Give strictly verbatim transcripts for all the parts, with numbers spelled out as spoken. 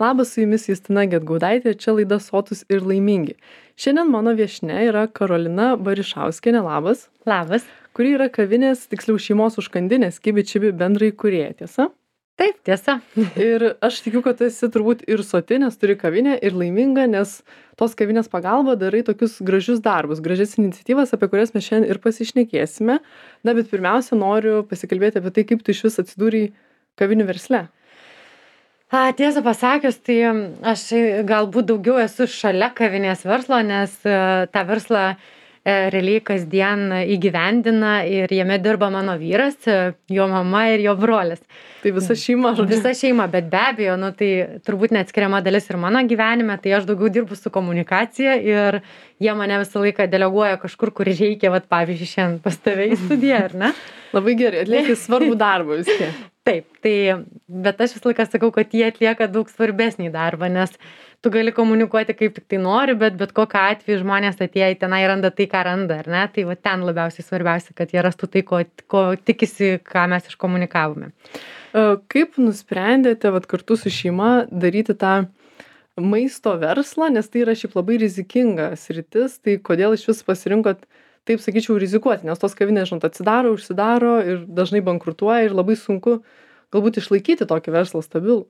Labas, su jumis Justina Gedgaudaitė, čia laida Sotūs ir laimingi. Šiandien mano viešnia yra Karolina Barišauskienė, labas. Labas. Kuri yra kavinės, tiksliau šeimos užkandinės Kibi Čibi bendraįkūrėja, tiesa? Taip, tiesa. Ir aš tikiu, kad tu esi turbūt ir soti, nes turi kavinę, ir laiminga, nes tos kavinės pagalba darai tokius gražius darbus, gražias iniciatyvas, apie kurias mes šiandien ir pasišnekėsime. Na, bet pirmiausia, noriu pasikalbėti apie tai, kaip tu iš vis atsidūrei kavinių versle. A, tiesą pasakius, tai aš galbūt daugiau esu šalia kavinės verslo, nes e, tą verslą e, realiai kasdien įgyvendina ir jame dirba mano vyras, e, jo mama ir jo brolis. Tai visa šeima, žodžiu. Visa šeima, bet be abejo, nu, tai turbūt neatskiriama dalis ir mano gyvenime, tai aš daugiau dirbu su komunikacija ir jie mane visą laiką deleguoja kažkur, kur reikia, vat, pavyzdžiui, šiandien pas tave į studiją, ar ne? Labai gerai, atlieki svarbų darbą vis tiek. Taip, tai, bet aš visą laiką sakau, kad jie atlieka daug svarbesnį darbą, nes tu gali komunikuoti kaip tik tai nori, bet bet kokiu atveju žmonės atėję į tenai randa tai, ką randa, ar ne? Tai va ten labiausiai svarbiausia, kad jie rastų tai, ko, ko tikisi, ką mes iškomunikavome. Kaip nusprendėte vat, kartu su šeima daryti tą maisto verslą, nes tai yra šiaip labai rizikinga sritis, tai kodėl iš vis pasirinkot, taip sakyčiau, rizikuoti, nes tos kavinės, žinot, atsidaro, užsidaro ir dažnai bankrutuoja ir labai sunku galbūt išlaikyti tokį verslą stabilų.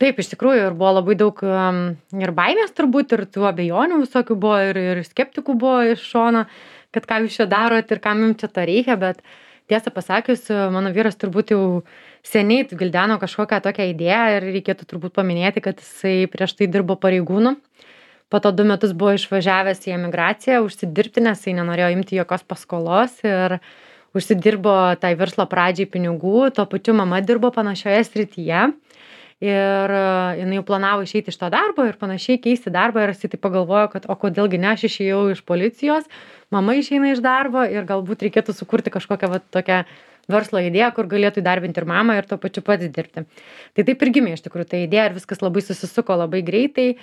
Taip, iš tikrųjų, ir buvo labai daug um, ir baimės turbūt, ir tų abejonių visokių buvo, ir, ir skeptikų buvo iš šono, kad ką jūs čia darot ir kam jums čia to reikia, bet tiesą pasakius, mano vyras turbūt jau seniai gildeno kažkokią tokią idėją ir reikėtų turbūt paminėti, kad jisai prieš tai dirbo pareigūnu. Po to du metus buvo išvažiavęs į emigraciją, užsidirbti, nes jisai nenorėjo imti jokios paskolos ir užsidirbo tai verslo pradžiai pinigų. Tuo pačiu mama dirbo panašioje srityje ir jinai jau planavo išeiti iš to darbo ir panašiai keisti darbą ir jisai tai pagalvojo, kad o kodėlgi ne, aš išėjau iš policijos, mama išeina iš darbo ir galbūt reikėtų sukurti kažkokią va, tokią verslo idėją, kur galėtų įdarbinti ir mamą ir tuo pačiu pats dirbti. Tai taip ir gimė iš tikrųjų ta idėja ir viskas labai susisuko labai greitai.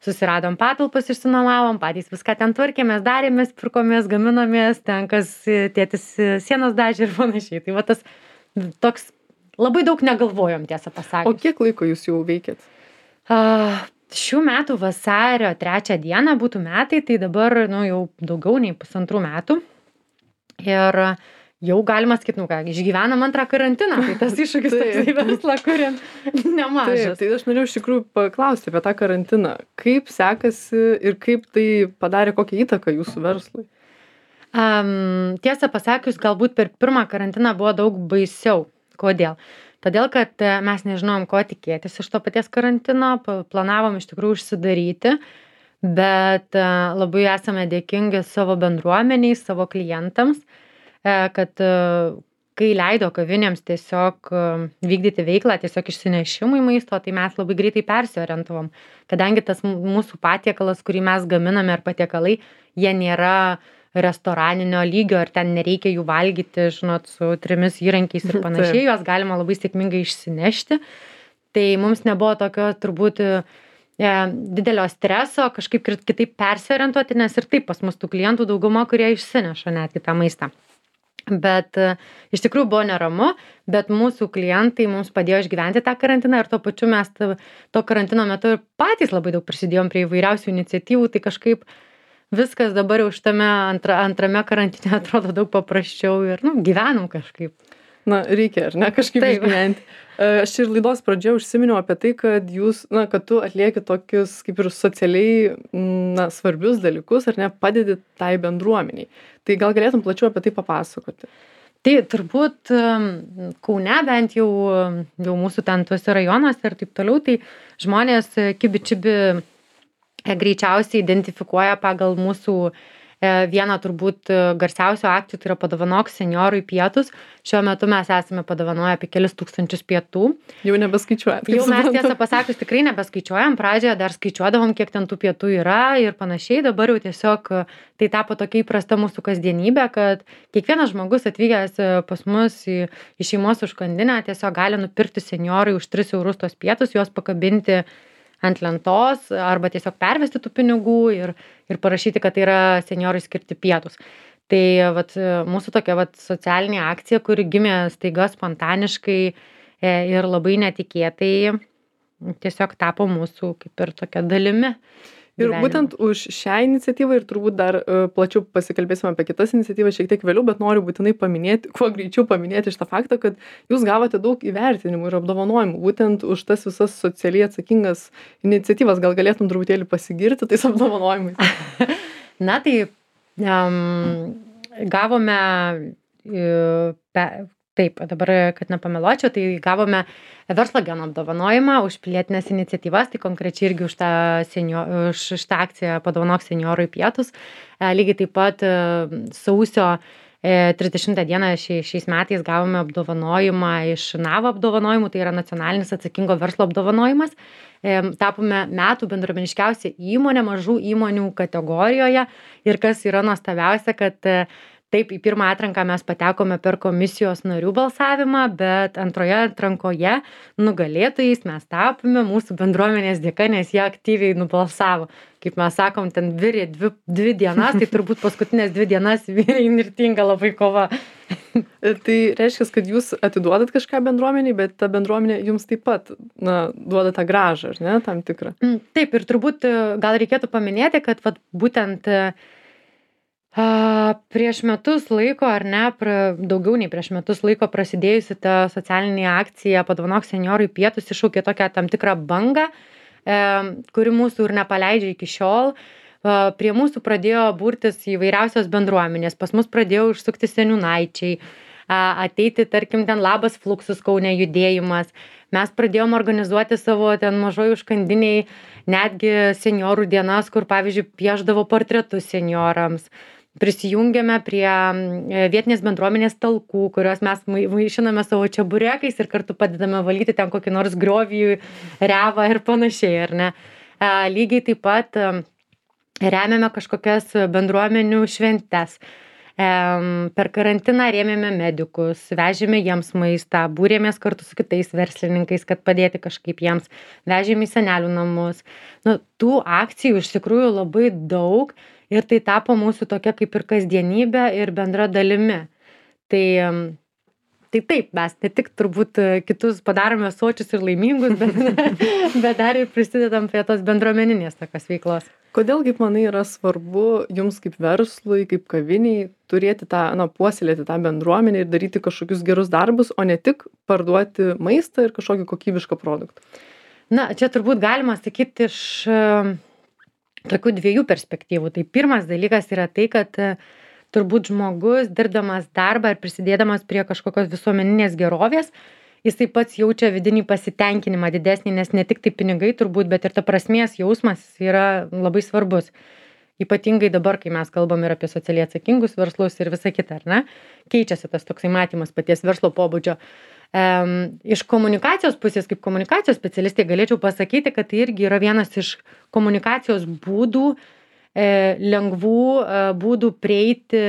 Susiradom patalpas, išsinuomavom, patys viską ten tvarkėmės, darėmės, pirkomės, gaminomės, ten kas tėtis sienos dažė ir panašiai. Tai va tas toks labai daug negalvojom, tiesą pasakius. O kiek laiko jūs jau veikėt? Uh, šių metų vasario trečią dieną būtų metai, tai dabar nu, jau daugiau nei pusantrų metų. Ir jau galima sakyti, nu ką, išgyvenam antrą karantiną, tai tas iššūkis toksai verslą, kuriam nemažas. Taip, tai aš norėjau iš tikrųjų paklausti apie tą karantiną. Kaip sekasi ir kaip tai padarė kokią įtaką jūsų verslui? Um, tiesą pasakius, galbūt per pirmą karantiną buvo daug baisiau. Kodėl? Todėl, kad mes nežinojom, ko tikėtis iš to paties karantino, planavom iš tikrųjų užsidaryti, bet labai esame dėkingi savo bendruomeniai, savo klientams, kad kai leido kavinėms tiesiog vykdyti veiklą, tiesiog išsinešimui maisto, tai mes labai greitai persiorientavom. Kadangi tas mūsų patiekalas, kurį mes gaminame ir patiekalai, jie nėra restoraninio lygio ir ten nereikia jų valgyti, žinot, su trimis įrankiais ir panašiai, juos galima labai sėkmingai išsinešti. Tai mums nebuvo tokio turbūt e, didelio streso kažkaip kitaip persiorientuoti, nes ir taip pas mus tų klientų dauguma, kurie išsineša netgi tą maistą. Bet iš tikrųjų buvo neramu, bet mūsų klientai mums padėjo išgyventi tą karantiną ir tuo pačiu mes to karantino metu ir patys labai daug prisidėjom prie įvairiausių iniciatyvų, tai kažkaip viskas dabar jau šitame antra, antrame karantine atrodo daug paprasčiau ir nu, gyvenam kažkaip. Na, reikia, ar ne, kažkaip Taip. Išgyventi. Aš ir laidos pradžioje užsiminiau apie tai, kad jūs, na, kad tu atlieki tokius kaip ir socialiai na, svarbius dalykus, ar ne, padedi tai bendruomeniai. Tai gal galėtum plačiau apie tai papasakoti? Tai turbūt Kaune bent jau, jau mūsų ten tuose rajonuose ir taip toliau, tai žmonės Kibi Čibi greičiausiai identifikuoja pagal mūsų vieną turbūt garsiausių akcijų, tai yra Padovanok seniorui pietus. Šiuo metu mes esame padovanoję apie kelis tūkstančius pietų. Jau nebeskaičiuojam. Jau mes tiesą pasakius tikrai nebeskaičiuojam. Pradžioje dar skaičiuodavom, kiek ten tų pietų yra ir panašiai. Dabar jau tiesiog tai tapo tokia įprasta mūsų kasdienybė, kad kiekvienas žmogus atvykęs pas mus į, į šeimos užkandinę tiesiog gali nupirkti seniorui už tris eurus tos pietus, juos pakabinti ant lentos arba tiesiog pervesti tų pinigų ir, ir parašyti, kad tai yra seniorui skirti pietus. Tai vat, mūsų tokia vat, socialinė akcija, kuri gimė staiga spontaniškai ir labai netikėtai, tiesiog tapo mūsų kaip ir tokia dalimi. Ir gyvenimo. būtent už šią iniciatyvą ir turbūt dar e, plačiau pasikalbėsime apie kitas iniciatyvas šiek tiek vėliau, bet noriu būtinai paminėti, kuo greičiau paminėti šitą faktą, kad jūs gavote daug įvertinimų ir apdovanojimų būtent už tas visas socialiai atsakingas iniciatyvas. Gal galėtum truputėlį pasigirti tais apdovanojimais? Na tai um, gavome, uh, pe, taip, dabar, kad nepameluočiau, tai gavome verslo geno apdovanojimą už pilietinės iniciatyvas, tai konkrečiai irgi už tą, senio, už šitą akciją Padovanok senjorui pietus. E, lygiai taip pat e, sausio e, trisdešimtą dieną šia, šiais metais gavome apdovanojimą iš NAVA apdovanojimų, tai yra nacionalinis atsakingo verslo apdovanojimas. E, tapome metų bendruomeniškiausia įmonė mažų įmonių kategorijoje ir kas yra nuostabiausia, kad e, taip, į pirmą atranką mes patekome per komisijos narių balsavimą, bet antroje atrankoje nugalėtojais mes tapome mūsų bendruomenės dėka, nes jie aktyviai nubalsavo. Kaip mes sakom, ten virė dvi, dvi dienas, tai turbūt paskutinės dvi dienas virė įnirtinga labai kova. Tai reiškia, kad jūs atiduodat kažką bendruomeniai, bet ta bendruomenė jums taip pat na, duoda tą grąžą, ar ne, tam tikrą? Taip, ir turbūt gal reikėtų paminėti, kad vat, būtent A, prieš metus laiko, ar ne, pra, daugiau nei prieš metus laiko prasidėjusi ta socialinė akcija Padovanok senjorui pietus iššaukė tokią tam tikrą bangą, e, kuri mūsų ir nepaleidžia iki šiol. E, prie mūsų pradėjo burtis įvairiausios bendruomenės, pas mus pradėjo užsukti seniūnaičiai, a, ateiti, tarkim, ten Labas Fluxus Kaune judėjimas. Mes pradėjom organizuoti savo ten mažoj užkandiniai netgi senjorų dienas, kur, pavyzdžiui, pieždavo portretus senjorams. Prisijungėme prie vietinės bendruomenės talkų, kurios mes vaišiname savo čeburekais ir kartu padedame valyti ten kokį nors griovį, revą ir panašiai, ar ne. Lygiai taip pat remiame kažkokias bendruomenių šventes. Per karantiną rėmėme medikus, vežėme jiems maistą, būrėmės kartu su kitais verslininkais, kad padėti kažkaip jiems, vežėme į senelių namus. Nu, tų akcijų iš tikrųjų labai daug ir tai tapo mūsų tokia kaip ir kasdienybė ir bendra dalimi. Tai, tai taip, mes ne tik turbūt kitus padarome sočius ir laimingus, bet, bet dar ir prisidedam prie tos bendruomeninės tokios veiklos. Kodėl, kaip manai, yra svarbu jums kaip verslui, kaip kaviniai turėti tą, na, puoselėti tą bendruomenę ir daryti kažkokius gerus darbus, o ne tik parduoti maistą ir kažkokį kokybišką produktą? Na, čia turbūt galima sakyti iš uh, tokių dviejų perspektyvų. Tai pirmas dalykas yra tai, kad uh, turbūt žmogus, dirbdamas darbą ir prisidėdamas prie kažkokios visuomeninės gerovės, jisai pats jaučia vidinį pasitenkinimą didesnį, nes ne tik tai pinigai turbūt, bet ir ta prasmės jausmas yra labai svarbus. Ypatingai dabar, kai mes kalbam ir apie socialiai atsakingus verslus ir visą kitą, ar ne? Keičiasi tas toksai matymas paties verslo pobūdžio. Um, iš komunikacijos pusės, kaip komunikacijos specialistai, galėčiau pasakyti, kad tai irgi yra vienas iš komunikacijos būdų, e, lengvų e, būdų prieiti,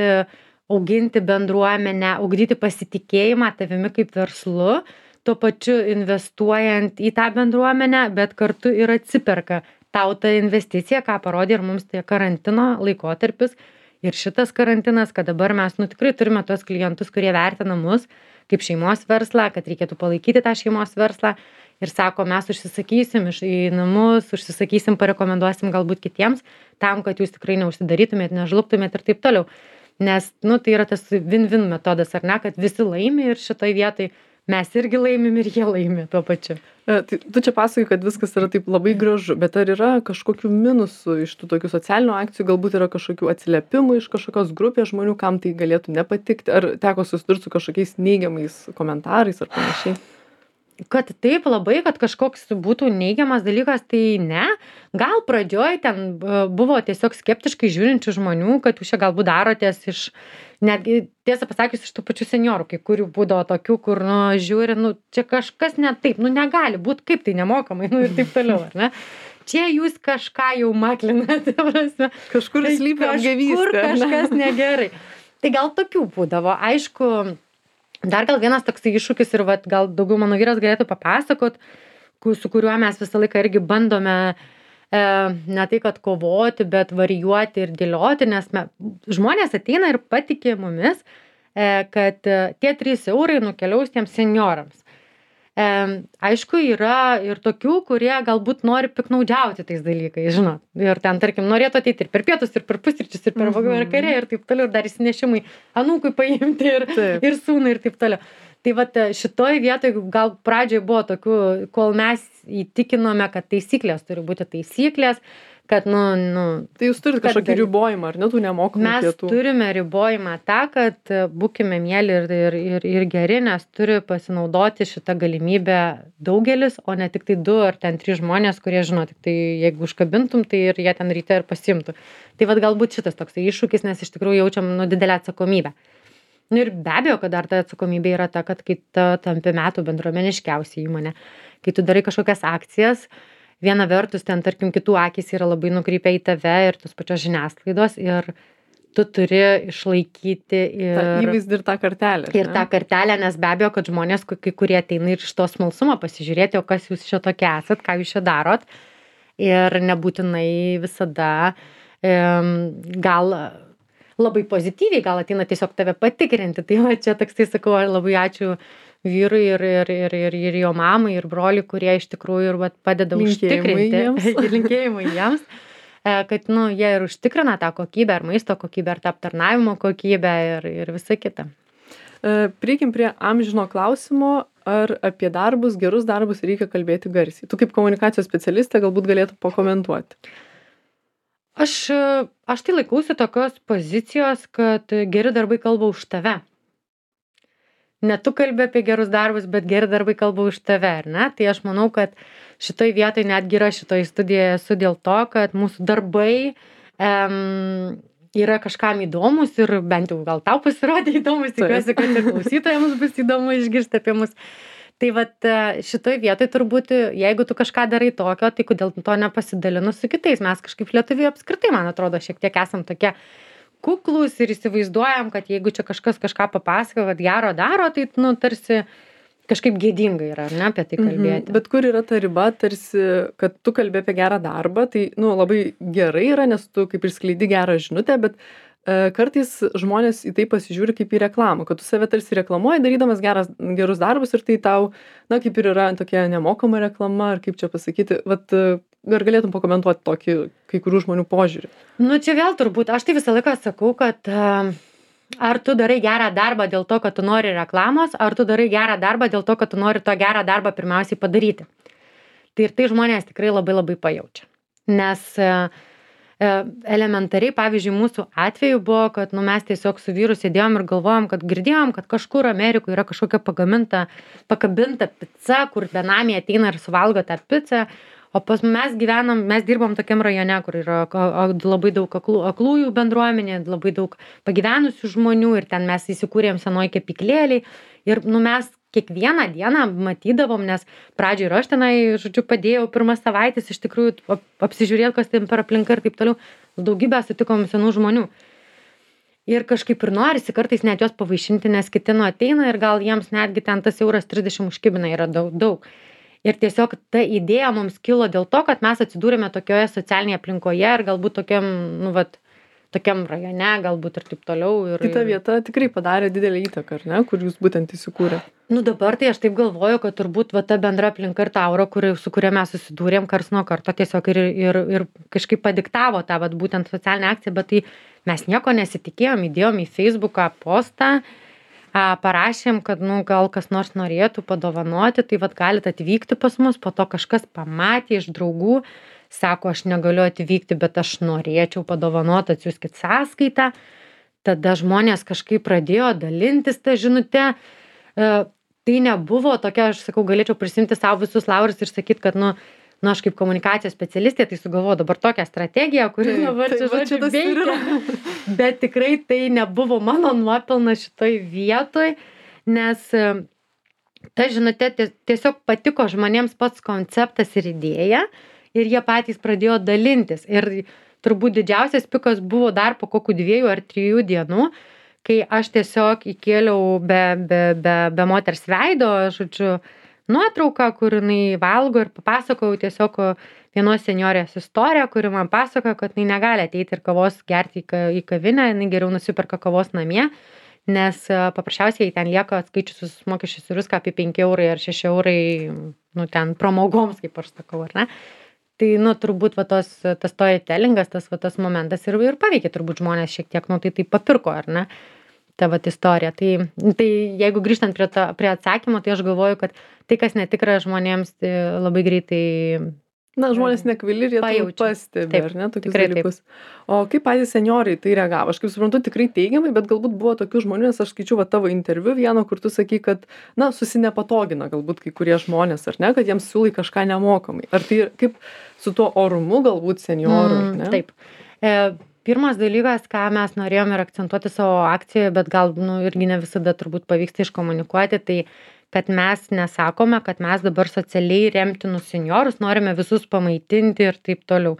auginti bendruomenę, ugdyti pasitikėjimą tavimi kaip verslu, tuo pačiu investuojant į tą bendruomenę, bet kartu ir atsiperka tau ta investicija, ką parodė ir mums tai karantino laikotarpis. Ir šitas karantinas, kad dabar mes nu, tikrai turime tos klientus, kurie vertina mus kaip šeimos verslą, kad reikėtų palaikyti tą šeimos verslą ir sako, mes užsisakysim iš į namus, užsisakysim, parekomenduosim galbūt kitiems, tam, kad jūs tikrai neužsidarytumėt, nežlugtumėt ir taip toliau. Nes, nu, tai yra tas win-win metodas, ar ne, kad visi laimi ir šitoj vietoj mes irgi laimim ir jie laimi tuo pačiu. E, tai tu čia pasakai, kad viskas yra taip labai gražu, bet ar yra kažkokių minusų iš tų tokių socialinių akcijų, galbūt yra kažkokių atsiliepimų iš kažkokios grupės žmonių, kam tai galėtų nepatikti, ar teko susidurti su kažkokiais neigiamais komentarais ar panašiai? Kad taip labai, kad kažkoks būtų neigiamas dalykas, tai ne. Gal pradžioj ten buvo tiesiog skeptiškai žiūrinčių žmonių, kad jūs čia galbūt darotės iš, netgi tiesą pasakius, iš tų pačių senjorų, kai kurių būdavo tokių, kur, nu, žiūri, nu, čia kažkas ne taip, nu, negali būti, kaip tai nemokamai, nu, ir taip toliau, ar ne? Čia jūs kažką jau maklinate, prasme. Kažkur tai slypi apgavystė. Kažkur kažkas negerai. Tai gal tokių būdavo, aišku. Dar gal vienas toks iššūkis ir vat, gal daugiau mano vyras galėtų papasakot, su kuriuo mes visą laiką irgi bandome e, ne tai, kad kovoti, bet varijuoti ir dėlioti, nes me, žmonės ateina ir patikė mumis, e, kad e, tie trys eurai nukeliaus tiems senjorams. E, aišku, yra ir tokių, kurie galbūt nori piknaudžiauti tais dalykais, žinot. Ir ten, tarkim, norėtų ateiti ir per pietus, ir per pusryčius, ir per vakarę, ir taip toliau, ir dar įsinešimai anūkui paimti, ir, Taip. ir sūnui, ir taip toliau. Tai vat šitoj vietoj gal pradžioj buvo tokių, kol mes įtikinome, kad taisyklės turi būti taisyklės, kad, nu, nu, Tai jūs turite Kad kažkokį gali- ribojimą, ar ne, tų nemokamų mes pietų? turime ribojimą tą, kad e, būkime mėly ir, ir, ir, ir geri, nes turi pasinaudoti šitą galimybę daugelis, o ne tik tai du ar ten trys žmonės, kurie žino, tik tai jeigu užkabintum, tai ir jie ten ryte ir pasimtų. Tai vad galbūt šitas toks iššūkis, nes iš tikrųjų jaučiam nu, didelę atsakomybę. Nu ir be abejo, kad dar ta atsakomybė yra ta, kad kai tu tampi metų bendruomeniškiausia įmonė, kai tu darai kažkokias akcijas, viena vertus ten, tarkim, kitų akys yra labai nukreipę į tave ir tos pačios žiniasklaidos ir tu turi išlaikyti ir, Ta įvaizdį ir tą kartelę. ar ir ne? tą kartelę, nes be abejo, kad žmonės, kai kurie ateina ir iš to smalsumo pasižiūrėti, o kas jūs čia tokie esat, ką jūs čia darot. Ir nebūtinai visada um, gal labai pozityviai, gal ateina tiesiog tave patikrinti. Tai va čia toksai sakau, labai ačiū vyrui ir, ir, ir, ir, ir jo mamai, ir broliui, kurie iš tikrųjų ir vat, padeda Linkėjimai užtikrinti. jiems. Ir linkėjimai jiems. e, Kad, nu, jie ir užtikrina tą kokybę, ar maisto kokybę, ar tą aptarnavimo kokybę ir, ir visa kita. E, Prieikim prie amžino klausimo, ar apie darbus, gerus darbus reikia kalbėti garsiai. Tu kaip komunikacijos specialistė galbūt galėtų pakomentuoti. Aš, e, aš tai laikausi tokios pozicijos, kad geri darbai kalba už tave. Ne tu kalbi apie gerus darbus, bet geri darbai kalba už tave, ar ne? Tai aš manau, kad šitoj vietoj netgi yra šitoj studijoje esu dėl to, kad mūsų darbai em, yra kažkam įdomus ir bent jau gal tau pasirodė įdomus, tikiuosi, kad ir klausytojams bus įdomu išgirsti apie mus. Tai vat šitoj vietoj turbūt, jeigu tu kažką darai tokio, tai kodėl to nepasidalinus su kitais? Mes kažkaip lietuviai apskritai, man atrodo, šiek tiek esam tokie kuklus ir įsivaizduojam, kad jeigu čia kažkas kažką papasakoja, kad gero daro, tai, nu, tarsi kažkaip gėdinga yra, ar ne, apie tai kalbėti. Mhm. Bet kur yra ta riba, tarsi, kad tu kalbi apie gerą darbą, tai, nu, labai gerai yra, nes tu kaip ir skleidi gerą žinutę, bet e, kartais žmonės į tai pasižiūri kaip į reklamą, kad tu save tarsi reklamuoji, darydamas geras, gerus darbus ir tai tau, na, kaip ir yra tokia nemokama reklama, ar kaip čia pasakyti, vat, e, ar galėtum pakomentuoti tokį kai kurių žmonių požiūrį? Nu, čia vėl turbūt, aš tai visą laiką sakau, kad uh, ar tu darai gerą darbą dėl to, kad tu nori reklamos, ar tu darai gerą darbą dėl to, kad tu nori to gerą darbą pirmiausiai padaryti. Tai ir tai žmonės tikrai labai labai pajaučia. Nes uh, uh, elementariai, pavyzdžiui, mūsų atveju buvo, kad nu, mes tiesiog su vyru sėdėjom ir galvojom, kad girdėjom, kad kažkur Amerikoje yra kažkokia pagaminta, pakabinta pica, kur benamiai ateina ir suvalgo tą pizzą. O pas mes gyvenam, mes dirbam tokiam rajone, kur yra labai daug aklų, aklųjų bendruomenė, labai daug pagyvenusių žmonių ir ten mes įsikūrėm senoj kepyklėliai. Ir nu, mes kiekvieną dieną matydavom, nes pradžioj ir aš tenai, žodžiu, padėjau pirmas savaitės iš tikrųjų ap, apsižiūrėti, kas ten per aplinką ir taip toliau. Daugybę sutikom senų žmonių. Ir kažkaip ir norisi kartais net juos pavaišinti, nes kiti nu ateina ir gal jiems netgi ten tas euras trisdešimt užkibina yra daug. daug. Ir tiesiog ta idėja mums kilo dėl to, kad mes atsidūrėme tokioje socialinėje aplinkoje ir galbūt tokiam, nu, vat, tokiam rajone, galbūt ir taip toliau. Ir, Tai ta vieta tikrai padarė didelę įtaką, ar ne, kur jūs būtent įsikūrė? Nu dabar tai aš taip galvoju, kad turbūt va, ta bendra aplinka ir ta aura, kuri, su kuria mes susidūrėm kars nuo karto, tiesiog ir, ir, ir kažkaip padiktavo tą vat, būtent socialinę akciją, bet tai mes nieko nesitikėjom, įdėjom į Facebooką postą, a, parašėm, kad nu, gal kas nors norėtų padovanoti, tai vat galit atvykti pas mus, po to kažkas pamatė iš draugų, sako, aš negaliu atvykti, bet aš norėčiau padovanoti, atsiųskit sąskaitą. Tada žmonės kažkaip pradėjo dalintis tą žinutę. E, tai nebuvo tokia, aš sakau, galėčiau prisimti savo visus laurus ir sakyti, kad nu, nu, aš kaip komunikacijos specialistė, tai sugalvoju dabar tokią strategiją, kuri dabar čia žodžiu veikia. Bet tikrai tai nebuvo mano nuopelnas šitoj vietoj, nes ta žinutė tiesiog patiko žmonėms pats konceptas ir idėja ir jie patys pradėjo dalintis. Ir turbūt didžiausias pikas buvo dar po kokių dviejų ar trijų dienų, kai aš tiesiog įkėliau be, be, be, be moters veido, žodžiu, nuotrauką, kur jinai valgo ir papasakojau tiesiog vienos senjorės istoriją, kuri man pasakojo, kad jinai negali ateiti ir kavos gerti į kavinę, jinai geriau nusiperka kavos namie. nes paprasčiausiai ten lieka atskaičius visus mokesčius ir viską apie penki eurai ar šeši eurai, nu ten pramogoms, kaip aš sakau, ar ne? Tai, nu, turbūt va tos, tas storytellingas, tas va tas momentas ir, ir paveikė turbūt žmonės šiek tiek, nu, tai tai papirko, ar ne? Ta vat istorija. Tai, tai jeigu grįžtant prie, ta, prie atsakymo, tai aš galvoju, kad tai, kas netikra žmonėms, tai labai greitai Na, žmonės nekvaili ir jie turbūt Pajaučia. pastebi, Taip, ar ne, tokius tikrai taip. dalykus. O kaip patys senjorai į tai reagavo? Aš kaip suprantu, tikrai teigiamai, bet galbūt buvo tokių žmonių, nes aš skaičiau va tavo interviu vieno, kur tu sakai, kad, na, susinepatogina galbūt kai kurie žmonės, ar ne, kad jiems siūlai kažką nemokamai. Ar tai kaip su tuo orumu galbūt senjorų, ar ne? Taip. E, pirmas dalykas, ką mes norėjom ir akcentuoti savo akcijoje, bet gal, nu, irgi ne visada turbūt pavyksta iškomunikuoti, tai kad mes nesakome, kad mes dabar socialiai remtinus senjorus norime visus pamaitinti ir taip toliau.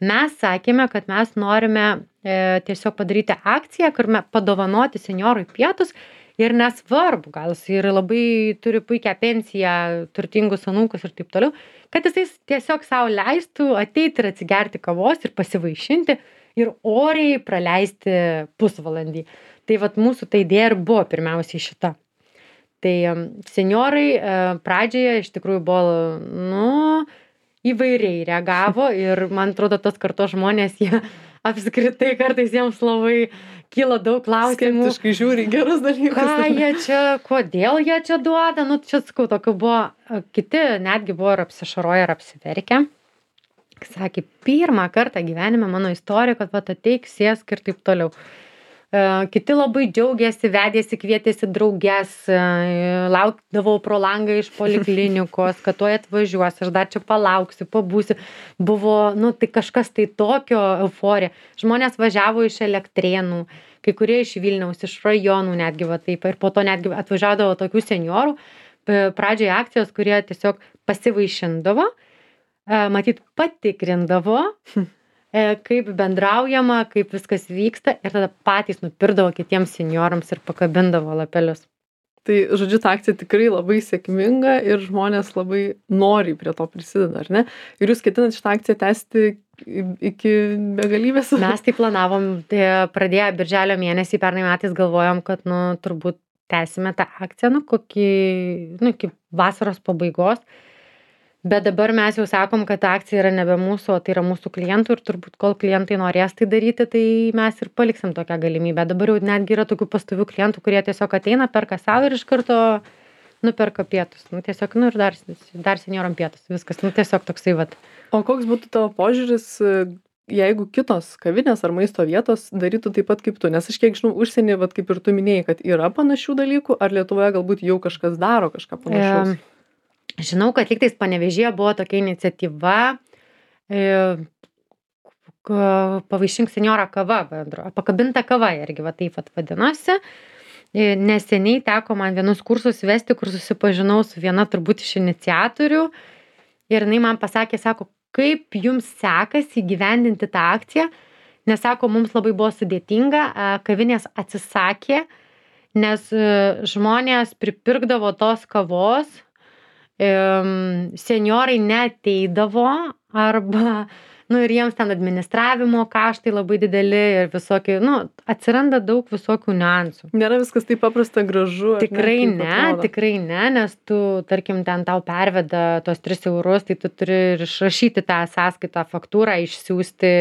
Mes sakėme, kad mes norime e, tiesiog padaryti akciją, kur mes padovanoti senjorui pietus ir nesvarbu, gal jis ir labai turi puikią pensiją, turtingus anūkus ir taip toliau, kad jisai tiesiog savo leistų ateiti ir atsigerti kavos ir pasivaišinti ir oriai praleisti pusvalandį. Tai vat mūsų ta idėja ir buvo pirmiausiai šita. Tai senjorai pradžioje iš tikrųjų buvo, nu, įvairiai reagavo ir man atrodo, tos kartos žmonės, jie apskritai kartais jiems labai kyla daug klausimų. Skeptiškai žiūri gerus dalykus. Ką jie čia, kodėl jie čia duoda, nu, čia sakau, tokių buvo, kiti netgi buvo ir apsišaroję, ir apsiverkę. Sakė, pirmą kartą gyvenime mano istorija, kad vat ateik, sėsk ir taip toliau. Kiti labai džiaugiasi, vedėsi, kvietėsi drauges, laukdavau pro langą iš poliklinikos, kad tuoj atvažiuos, aš dar čia palauksiu, pabūsiu. Buvo, nu, tai kažkas tai tokio euforija. Žmonės važiavo iš Elektrėnų, kai kurie iš Vilniaus, iš rajonų netgi va taip. Ir po to netgi atvažiuodavo tokių senjorų, pradžioje akcijos, kurie tiesiog pasivaišindavo, matyt, patikrindavo, kaip bendraujama, kaip viskas vyksta ir tada patys nupirkdavo kitiems senjorams ir pakabindavo lapelius. Tai, žodžiu, ta akcija tikrai labai sėkminga ir žmonės labai noriai prie to prisideda, ar ne? Ir jūs ketinat šitą akciją tęsti iki begalybės? Mes tai planavom, tai pradėję birželio mėnesį, pernai metais galvojom, kad, nu, turbūt tęsime tą akciją, nu, kokį, nu, iki vasaros pabaigos. Bet dabar mes jau sakom, kad ta akcija yra nebe mūsų, o tai yra mūsų klientų ir turbūt kol klientai norės tai daryti, tai mes ir paliksim tokią galimybę. Dabar jau netgi yra tokių pastovių klientų, kurie tiesiog ateina, perka savo ir iš karto nuperka pietus. Nu, tiesiog, nu, ir dar, dar senjoram pietus. Viskas, nu, tiesiog toksai vat. O koks būtų tavo požiūris, jeigu kitos kavinės ar maisto vietos darytų taip pat kaip tu? Nes aš kiek žinau, užsienį, vat kaip ir tu minėjai, kad yra panašių dalykų, ar Lietuvoje galbūt jau kažkas daro kažką panašaus? E... Žinau, kad lygtais Panevėžyje buvo tokia iniciatyva e, pavaišink senjorą kava, bendro, pakabinta kava irgi va taip vat vadinosi. E, neseniai teko man vienus kursus vesti, kur susipažinau su viena turbūt iš iniciatorių ir jinai man pasakė, sako, kaip jums sekasi įgyvendinti tą akciją, nes sako, mums labai buvo sudėtinga, kavinės atsisakė, nes žmonės pripirkdavo tos kavos, senjorai neateidavo arba, nu, ir jiems ten administravimo kaštai labai dideli ir visokie, nu, atsiranda daug visokių niuansų. Nėra viskas taip paprasta gražu. Tikrai ne, ne tikrai ne, nes tu, tarkim, ten tau perveda tos tris eurus, tai tu turi ir išrašyti tą sąskaitą, faktūrą, išsiųsti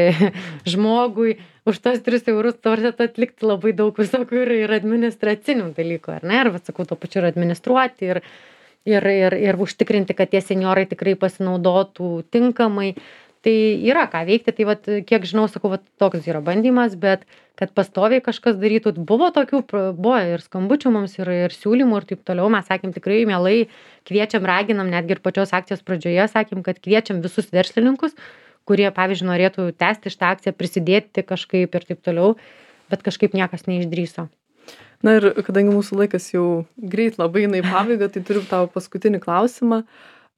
žmogui. Už tos tris eurus turite atlikti labai daug visokių ir, ir administracinių dalykų, ar ne? Ir, atsakau, to pačiu ir administruoti ir Ir, ir, ir užtikrinti, kad tie senjorai tikrai pasinaudotų tinkamai. Tai yra ką veikti, tai vat, kiek žinau, sakau, vat, toks yra bandymas, bet kad pastoviai kažkas darytų, buvo tokių, buvo ir skambučių mums, ir, ir siūlymų ir taip toliau. Mes sakėm tikrai mielai, kviečiam, raginam, netgi ir pačios akcijos pradžioje sakėm, kad kviečiam visus verslininkus, kurie, pavyzdžiui, norėtų tęsti šitą akciją, prisidėti kažkaip ir taip toliau, bet kažkaip niekas neišdrįso. Na ir kadangi mūsų laikas jau greit labai eina į pabaigą, tai turiu tavo paskutinį klausimą.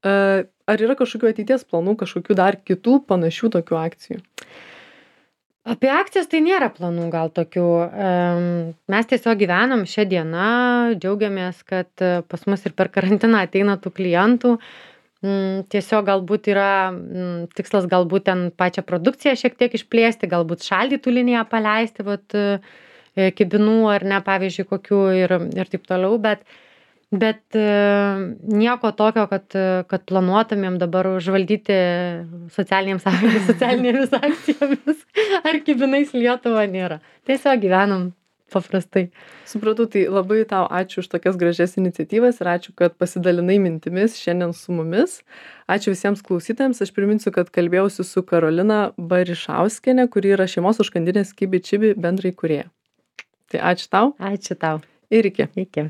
Ar yra kažkokių ateities planų, kažkokių dar kitų panašių tokių akcijų? Apie akcijas tai nėra planų gal tokių. Mes tiesiog gyvenam šią dieną, džiaugiamės, kad pas mus ir per karantiną ateina tų klientų. Tiesiog galbūt yra tikslas galbūt ten pačią produkciją šiek tiek išplėsti, galbūt šaldytų liniją paleisti, vat, e, kibinų ar ne, pavyzdžiui, kokių ir, ir taip toliau, bet, bet e, nieko tokio, kad, kad planuotumėm dabar užvaldyti socialinėms, socialinėmis akcijomis ar kibinais Lietuvą nėra. Tiesiog gyvenam paprastai. Supratau, tai labai tau ačiū už tokias gražias iniciatyvas ir ačiū, kad pasidalinai mintimis šiandien su mumis. Ačiū visiems klausytojams. Aš priminsiu, kad kalbėjausi su Karolina Barišauskienė, kuri yra šeimos užkandinės Kibi Čibi bendrai kūrėja. Tai ačiū tau. Ačiū tau. Ir iki. Iki.